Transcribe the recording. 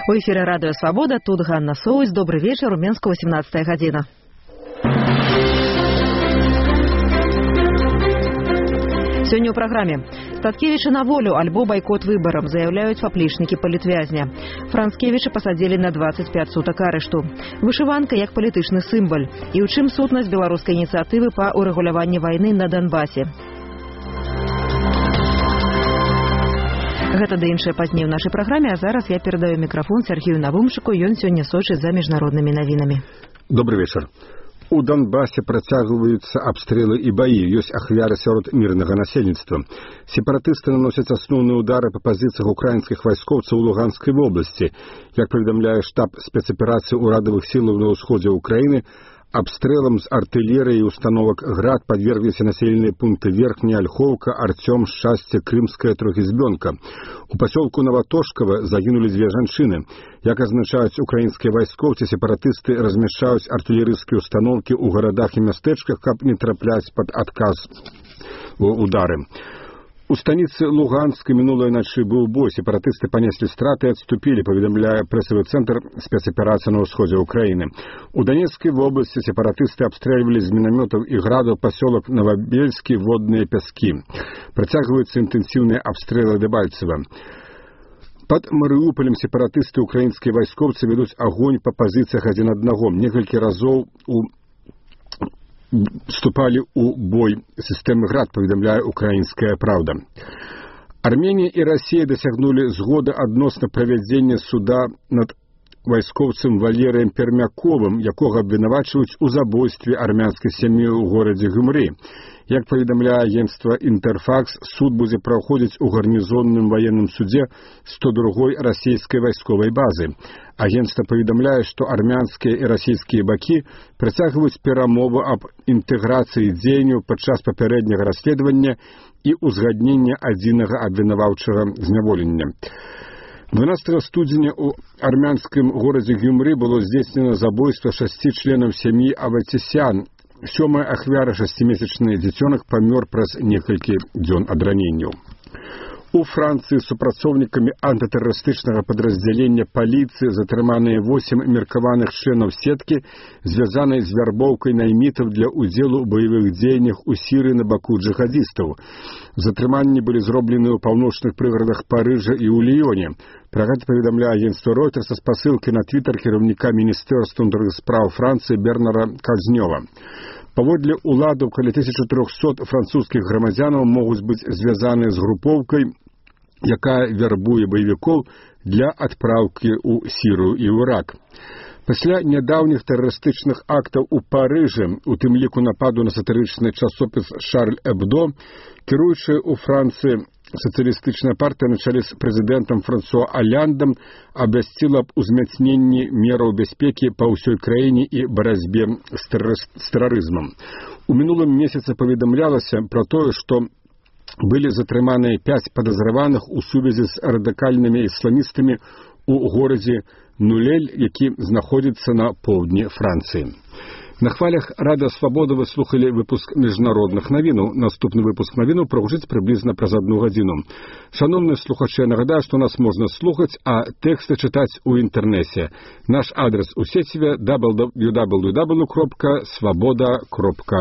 У эфіры Радыё Свабода, тут Ганна Соусь. Добрый вечер, у Менска 18 гадзіна. Сегодня в программе. Статкевича на волю, альбо бойкот выборам, заявляют поплечники политвязня. Францкевича посадили на 25 суток арешту. Вышиванка як політычны символ. И у чым сутнасць беларускай инициативы по урегуляванию войны на Донбассе. Гэта да іншае пазней у нашай праграме, а зараз я перадаю мікрафон Сергею Навумчыку, ён сёння сочыць за міжнароднымі навінамі. Добрый вечер. У Донбассе працягваюцца абстрэлы і баі, ёсць ахвяры сярод мірнага насельніцтва. Сепаратысты наносяць асноўныя ўдары па пазіцыях украінскіх вайскоўцаў у Луганскай вобласці. Як паведамляе штаб спецаперацыі ўрадавых сілаў на ўсходзе ўкраіны, абстрэлам з артылерыі і установак «Град» подвергліся населеныя пункты Верхняя Ольховка, Артём, Шчасце, Крымская, Трохізбёнка. У пасёлку Новотошкава загінулі 2 жанчыны. Як азначаюць украінскія вайскоўцы, сепаратысты размяшчаюць артылерыйскія установкі ў гарадах і мястэчках, каб не трапляць пад адказ удары. У станицы Луганской минулой ночи был бой. Сепаратысты понесли страты и отступили, поведомляя прессовый центр спецоперации на усходе Украины. У Донецкой области сепаратысты обстреливали из минометов и градов поселок Новобельский, Водные Пески. Протягиваются интенсивные обстрелы Дебальцева. Под Мариуполем сепаратысты украинские войсковцы ведут огонь по позициях один одного. Несколько разов вступали у бой системы «Град», поведомляя «Украинская правда». Армения и Россия досягнули згоды адносно правядзення суда над вайскоўцам Валерыем Пермяковым, якога абвінавачваюць у забойстве армянскай сям'і ў горадзе Гюмры. Як паведамляе агентства «Интерфакс», суд будзе праходзіць у гарнізонным военным суде 102-й расійскай вайсковай базы. Агентство паведамляе, што армянскія і расійскія бакі працягваюць перамовы аб інтэграцыі дзеянняў падчас папярэдняга расследавання і узгаднення адзінага абвінаваўчага зняволення. 12 студзеня у армянскім горадзе Гюмры было здзейснена забойство 6 членов сем'і Аватисян. 7-я ахвяра 6-месячны дзіцёнак памёр праз некалькі дзён ад раненняў. У Францыі супрацоўнікамі антытэрарыстычнага падраздзялення паліцыі затрыманыя 8 меркаваных членаў сеткі, звязанай з вярбоўкай наймітаў для ўдзелу ў баявых дзеяннях у Сірыі на баку джихадістаў. Затрыманні былі зроблены ў паўночных прыгарадах Парыжа і ў Ліёне. Пра гэта паведамляе агентство Reuters са спасылкай на твітар кіраўніка Міністэрства ўнутраных спраў Францыі Бернара Казнёва. Паводле уладаў каля 1300 французскіх грамадзянаў могуць быць звязаныя з групоўкай, якая вярбуе баевікоў для адпраўкі ў Сірыю і Ірак. Пасля нядаўніх тэрарыстычных актаў у Парыжы, у тым ліку нападу на сатырычны часопіс «Шарль Эбдо», кіруючая ў Францыі сацыялістычная партыя на чале з прэзідэнтам Франсуа Аляндам абвясціла аб узмацненні мераў бяспекі па ўсёй краіне і барацьбе з тэрарызмам. У мінулым месяцы паведамлялася пра тое, што былі затрыманыя 5 падазраваных у сувязі з радыкальнымі ісламістамі ў горадзе Нулель, які знаходзіцца на поўдні Францыі. На хвалях Радыё Свабода вы слухали выпуск міжнародных навінаў. Наступны выпуск навінаў прагучыць прыблізна праз 1 гадзіну. Шановныя слухачы, я нагадаю, што нас можна слухаць, а тэксты чытаць у інтэрнэце. Наш адрес у сеціве www.svoboda.org.